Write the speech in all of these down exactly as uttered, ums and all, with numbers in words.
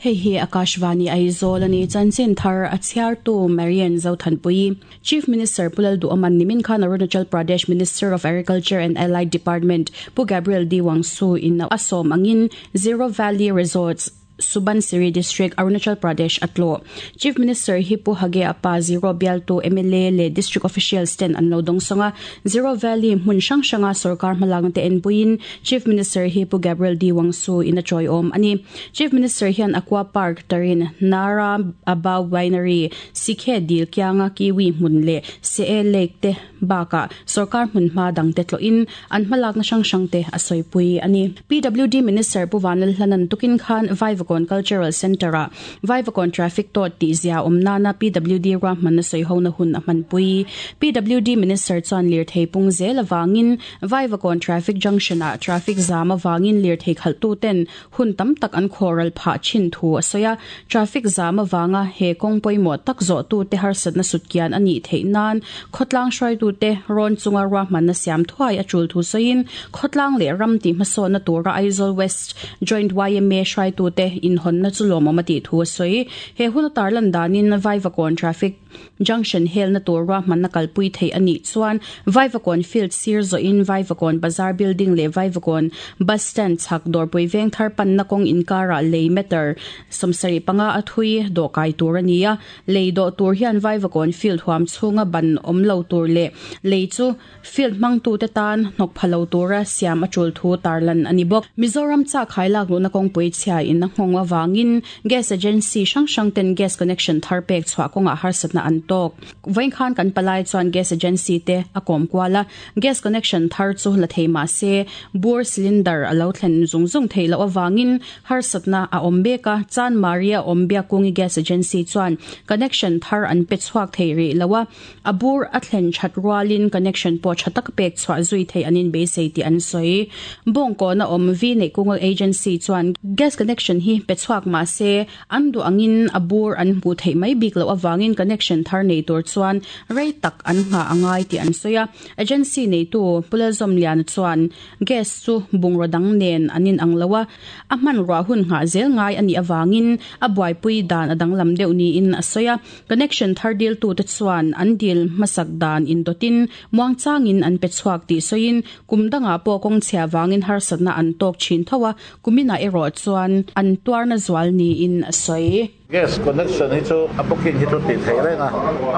Hei hi Akashvani Aizawl ani chanchin thar a chhiartu Marian Zothanpui. Chief Minister Pu Lalduhoma nimin khan Arunachal Pradesh Minister of Agriculture and Allied Department Pu Gabriel D Wangsu in a sawm angin Ziro Valley Resorts Subansiri District Arunachal Pradesh atlo. Chief Minister hi Pu Hage apa Ziro bialtu M L A le district officials ten an lo dong songa Ziro Valley hmun hrang hranga sarkar hmalang te en puin Chief Minister hi Pu Gabriel D Wangsu in a choi om ani. Chief Minister hian Aqua Park tarin Nara Aba Winery Sikhe dil kyanga kiwi hmun le Se Lake te baka sarkar hmun hma dang te tlo in an hmalak na hrang hrang te a soipui ani. P W D Minister Pu Vanlalhlanan tukin khan Vaivakawn Cultural Center a Vaivakawn Traffic to ti zia omna na P W D ra man soi ho na hun a hmanpui. P W D Minister chuan lir thei pung zel awangin Vaivakawn Traffic Junction a traffic jam awangin lir thei khaltu ten hun tam tak an khoral pha chin thu a soya traffic jam awanga he kong poimo tak zo tu te harsat na sutkian ani thei nan khotlang hruai tu te ron chunga ra man na siam thuai a chul thu soin khotlang le ram ti hmaso na tura Aizawl West Joint Y M A hruai tu te in hon na chu lawm ti thu soi he hun tarlan danin Vaivakawn Traffic Junction hel na tur ra man na kalpui thei ani chuan Vaivakawn Field sir zo in Vaivakawn Bazar building le Vaivakawn Bus Stand chak Dawrpui Vengthar pan na kong inkara lei meter sawmsarih panga a thui do kai tur ania lei do tur hian Vaivakawn Field huam chhunga ban omlo tur le lei chu field mang tu te tan hnok phalo tura siam a chul thu tarlan ani bok. Mizoram cha khailak lu na kong pui chhia in na nghong awangin gas agency hrang hrang ten gas connection thar pek chhuah kawnga harsatna an tok vain khan kan palai chuan gas agency te a kom kwala gas connection thar chu la thei ma se bur cylinder alo thlen zung zung thei lo awangin harsatna a awm beka chan maria ombia kungi gas agency chuan connection thar an pe chhuak thei ri lawa abur a thlen that rualin connection po thatak pek chhuah zui thei anin be sei ti an soi bong ko na om vi nei kungal agency chuan gas connection hi pe chhuak ma se an du angin abur an hmu thei mai bik lo awangin connection thar nei tur chuan rei tak an nga angai ti an soya agency nei tu pulazom lian chuan gas chu bungro dang nen anin ang lawa a man ra hun nga zel ngai ani awangin a buaipui dan adang lam deuh ni in asoya connection thar deal tu te chuan an deal masak dan in dotin muang changin an pe chuak ti soin kumdanga po kong chhia wangin harsatna an tok chin thawa kumina ero chuan an tuarna zwal ni in asoi. Gas connection hi chu a booking hi chu ti thei renga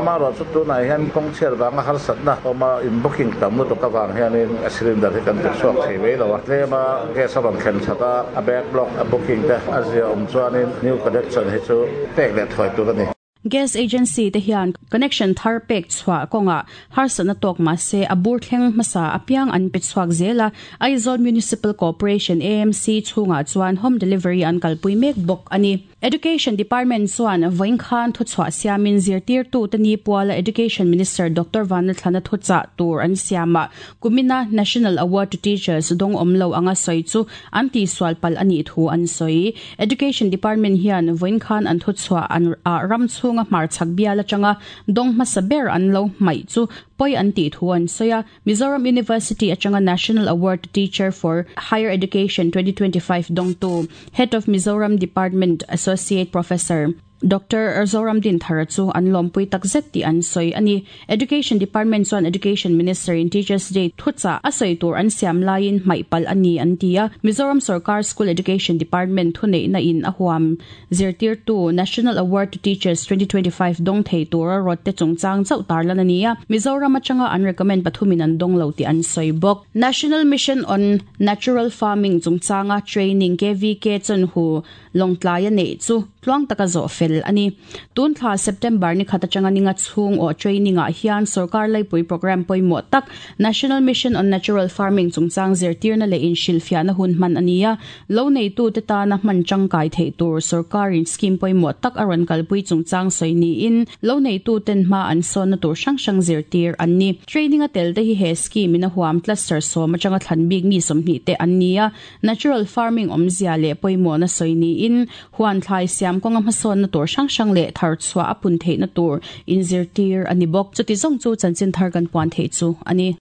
ama ro chu tu nai hian kong chher wanga harsatna oma in booking tam lu to ka wang hian in a cylinder hi kan te chuak thei wei lo tlema gas a bang khen chata a backlog a booking te a zia om chuan in new connection hi chu pek le thoi tur ani. Gas agency te hian connection thar pek chhuah kawnga harsatna tok ma se abur thleng hmasa apiang an pe chhuak zela. Aizawl Municipal Corporation A M C chhunga chuan home delivery an kalpui mek bawk ani. Education Department chuan vawiin khan thu chhuah siamin zirtirtu te ni puala Education Minister Doctor Vanlalthlana thuchah tur an siama kumina National Award to Teachers dong awmlo anga sawi chu an ti sualpal ani thu an sawi. Education Department hian vawiin khan an thu chhuah an ram chhunga hmar chhak bial atanga dong hmasa ber an lo hmaih chu poi an ti thu an soya. Mizoram University atanga National Award to Teacher for Higher Education twenty twenty-five dong tu Head of Mizoram Department Associate Professor Doctor Zoram Din Thara chu an lompui takzet ti an soi ani. Education Department chuan Education Minister in Teachers Day thucha a soi tur an siam laiin hmaihpal ani an tia. Mizoram Sarkar School Education Department thunei na in a huam zirtir tu National Award to Teachers twenty twenty-five dong thei tura rot te chungchang chau tarlan ania. Mizoram atanga an recommend pathumin an dong lo ti an soi bok. National Mission on Natural Farming chungchanga training K V K chon hu longtlai nei chu tluang taka zo fel ani. Tun thla September ni khata changa ninga chhung o training a hian sarkar laipui program poimo tak National Mission on Natural Farming chungchang zirtirna le in shilfia na hun man ania. Lo nei tu te ta na man changkai thei tur sarkar in scheme poimo tak aron kalpui chungchang soini in lo nei tu ten ma an son na tur sang sang zirtir anni. Training a tel te hi he scheme in a huam cluster so ma changa thlan bik mi somni te ania. Natural farming omzia le poimo na soini in huan thlai siam konga hmasawn na tur hrang hrang leh thar chhuah a pun theih na tur inzirtir ani bawk. Chuti zawng chu chanchin thar kan puan theih chu ani.